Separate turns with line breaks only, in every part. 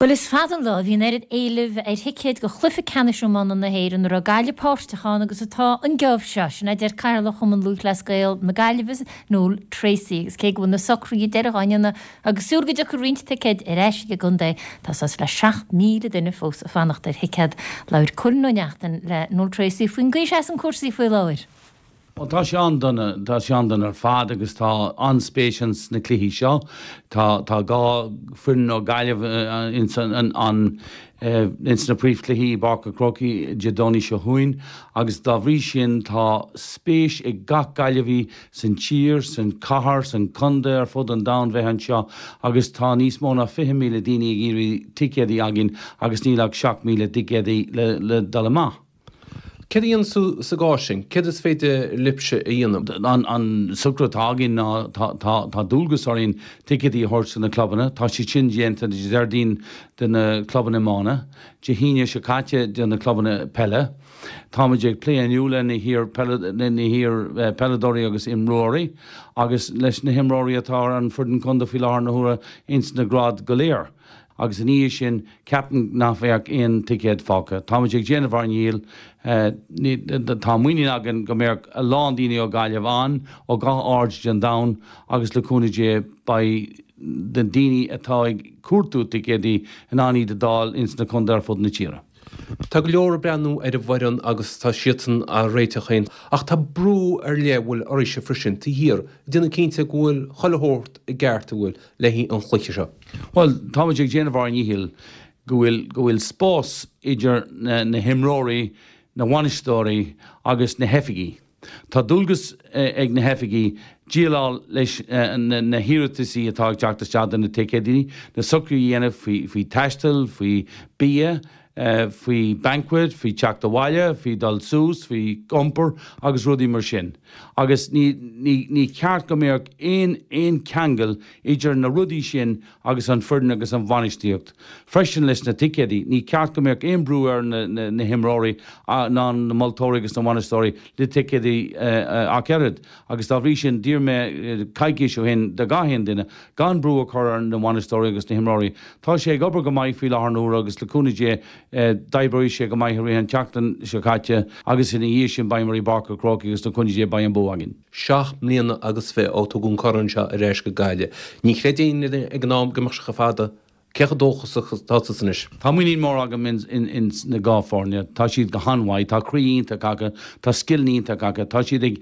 Bhuel, is fada an lá a bhí an oiread éilimh ar thicéid do chluiche ceannais iomána na hÉireann a raibh Gaillimh páirteach ann agus atá an geábh seo, sin a deir Cathaoirleach Chumann Lúthchleas Gael na Gaillimhe, Noel Treacy. Agus cé go bhfuil na socruithe deiridh á ndéanamh agus súil go dtiocfaidh roinnt ticéid ar ais ag an gcontae, tá suas le 7,000 duine fós ag fanacht ar thicéad. Labhair Cóilín Ó Neachtain le Noel Treacy faoin gcaoi a seasann cúrsaí faoi láthair.
Bhuel, tá sé an-dona, tá sé an-dona ar fad agus tá an-spéis ins na cluichí seo. Tá, tá 2 foireann ó Gaillimh ins an, an, ins na príomhchluichí i bPáirc an Chrócaigh Dé Domhnaigh seo chugainn agus dá bhrí sin tá spéis ag gach Gaillimhí san tír, san chathair, san contae, ar fud an domhain bheith anseo agus tá níos mó ná 20,000 daoine ag iarraidh ticéadaí againn agus níl ach 7,000 ticéadaí le, le dul amach.
Céard a dhéanas tú sa gcás sin? Céard is féidir libhse a dhéanamh?
An socrú atá againn ná tá dualgas orainn ticéadaí a thabhairt do na clubanna. Tá siad sin déanta Dé Déardaoin do na clubanna iomána, Dé hAoine seo caite do na clubanna peile. Táimid ag plé inniu le na hiar-pheileadóirí agus imreoirí agus leis na himreoirí atá ar an foireann contae faoi láthair na huaire ins na gráid go léir. agus ina dhiaidh sin ceapaim nach bheadh aon ticéad fágtha. Táimid ag déanamh ár ndícheall. Tá muinín againn go mbeadh a lán daoine ó Ghaillimh ann, ó gach aird den domhan agus le cúnamh Dé beidh na daoine atá ag cuartú ticéadaí in ann iad a d'fháil ins na contae ar fud na tíre.
Tá go leor ag breathnú ar an bhfoireann agus tá siadsan á réiteach féin ach tá brú ar leith a bhfuil oraibhse freisin taobh thiar ag déanamh cinnte go bhfuil chuile shórt i gceart a bhfuil le haghaidh an chluiche seo.
Bhuel, táimid ag déanamh ár ndícheall go bhfuil go bhfuil spás idir na na himreoirí, na bhainisteoirí agus na hoifigigh. Tá dualgas ag na hoifigigh déileáil leis na hiarrataisí atá ag teacht isteach do na ticéadaí, na socruithe a dhéanamh faoi taisteal, faoi bia, faoi banquet, faoi teacht abhaile, faoi dul suas, faoi iompar agus rudaí mar sin. Agus ní ceart go mbeadh aon cheangal idir na rudaí sin agus an foireann agus an bhainistíocht. Freisin leis na ticéadaí, ní ceart go mbeadh aon brú ar na himreoirí ná na moltóirí agus na bhainisteoirí le ticéadaí ach oiread agus dá bhrí sin d'iarr mé coicís ó shin do gach aon duine gan brú a chur ar na bhainisteoirí agus na himreoirí. Tá sé ag obair go maith faoi láthair na huaire agus le cúnamh Dé d'oibreoidh sé go maith i rith an tseachtain seo caite agus ina dhiaidh sin beidh muid i bPáirc an Chrócaigh agus le cúnamh Dé beidh an bua againn.
7 mbliana agus 20 ó tugadh an corn seo ar ais go Gaillimh. Ní chreid éinne ag an am go mbeadh sé chomh fada. Cé chomh dóchasach atá tusa anois?
Tá muinín mór agam ins na dá foirne. Tá siad go han-mhaith. Tá croí iontach acu. Tá scileanna iontach acu. Tá siad ag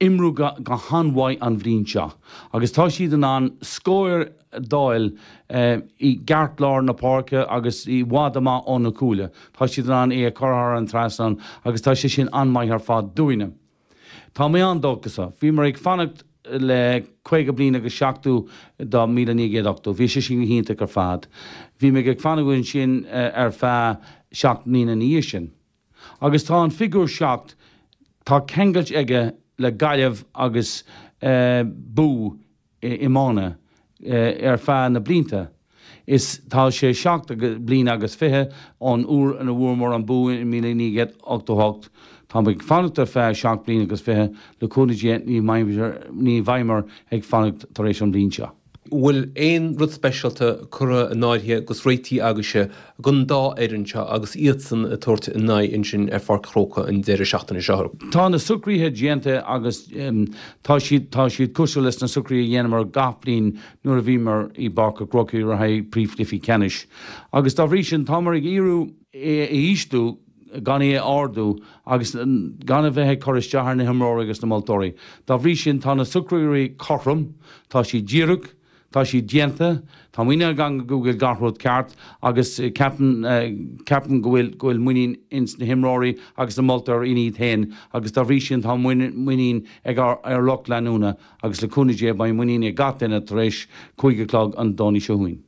imriú go han-mhaith an bhliain seo agus tá siad in ann scóir a d'fháil i gceartlár na páirce agus i bhfad amach ó na cúile. Tá siad in ann é a chur thar an trasnán agus tá sé sin an-mhaith ar fad dúinne. Tá mé an-dóchasach. Bhíomar ag fanacht le 50 bliain agus 70 do 1980. Bhí sé sin go hiontach ar fad. Bhí muid ag fanacht ansin ar feadh 7 mbliana ina dhiaidh sin. Agus tá an figiúr 7, tá ceangailt aige le Gaillimh agus bua iomána ar feadh na blianta. Is tá sé 7 bliana agus 20 ón uair ina bhfuaireamar an bua i 1988. Tá muid ag fanacht ar feadh 7 bliana agus 20, le cúnamh Dé ní bheidhmear ag fanacht tar éis an bhliain seo.
Bhfuil aon rud speisialta curtha in áirithe agus réitithe agaibhse don dá fhoireann seo agus iadsan ag tabhairt a n-aghaidh ansin ar Pháirc Chrócaigh an deireadh seachtaine seo?
Tá na socruithe déanta agus tá siad tá siad cosúil leis na socruithe a dhéanamar gach bliain nuair a bhíomar i bPáirc an Chrócaigh le haghaidh príomhchluichí ceannais agus dá bhrí sin táimar ag iarraidh é a ísliú gan é a ardú agus gan a bheith ag cur isteach ar na himreoirí agus na moltóirí. Dá bhrí sin, tá na socruithe cothrom, tá siad díreach, tá siad déanta, tá muinín agam go bhfuil gach rud ceart agus ceapaim, ceapaim go bhfuil, go bhfuil muinín ins na himreoirí agus na moltóirí ina iad féin agus dá bhrí sin tá muinín ag ár, ár lucht leanúna agus le cúnamh Dé beidh muinín ag gach duine tar éis 5 a chlog an Domhnaigh seo chugainn.